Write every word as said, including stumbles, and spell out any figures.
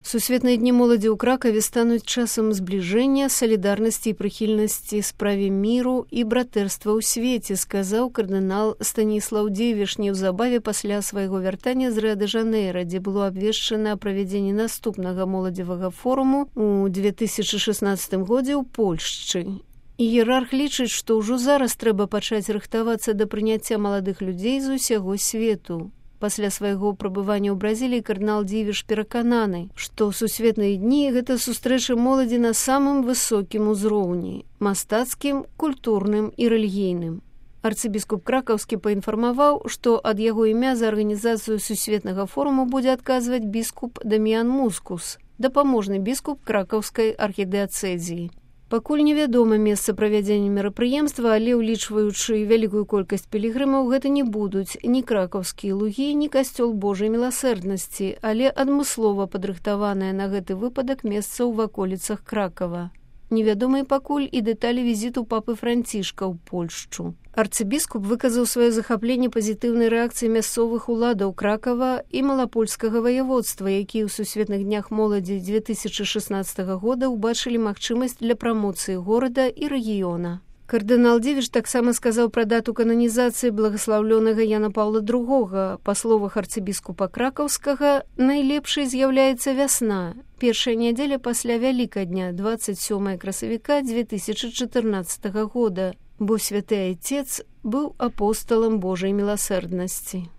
Сусветныя дні моладзі ў Кракаве стануць часам збліжэння, салідарнасці і прыхільнасці справе міру і братэрства ў свеце, сказаў кардынал Станіслаў Дзівіш неўзабаве пасля свайго вяртання з Рыа-дэ-Жанэйра, дзе было абвешчана правядзенне наступнага моладзевага форуму ў две тысячы шаснаццатым годзе ў Польшчы. Іерарх лічыць, што ўжо зараз трэба пачаць рыхтавацца да прыняцця маладых людзей з усяго свету. Пасля свайго прабывання ў Бразіліі кардынал Дзівіш перакананы, што сусветныя дні – гэта сустрэчы моладзі на самым высокім узроўні – мастацкім, культурным і рэлігійным. Арцыбіскуп Кракаўскі паінфармаваў, што ад яго імя за арганізацыю сусветнага форуму будзе адказваць біскуп Даміян Мускус, дапаможны біскуп Кракаўскай архідыацэзіі. Пакуль невядома месца правядзення мерапрыемства, але ўлічваючы вялікую колькасць пілігрымаў, гэта не будуць ні кракаўскія лугі, ні касцёл Божай міласэрднасці, але адмыслова падрыхтаванае на гэты выпадак месца ў ваколіцах Кракава. Невядомыя пакуль і дэталі візіту папы Францішка ў Польшчу. Арцыбіскуп выказаў сваё захапленне пазітыўнай рэакцыі мясцовых уладаў Кракава і малапольскага ваяводства, якія ў сусветных днях моладзі две тысячы шаснаццатага года ўбачылі магчымасць для прамоцыі горада і рэгіёна. Кардынал Дзівіш таксама сказаў пра дату кананізацыі благаслаўлёнага Яна Паўла другога. Па словах арцыбіскупа Кракаўскага, найлепшай з'яўляецца вясна, першая нядзеля пасля Вялікадня, дваццаць сёмага красавіка две тысячы чатырнаццатага года, бо святы айцец быў апосталам Божай міласэрднасці.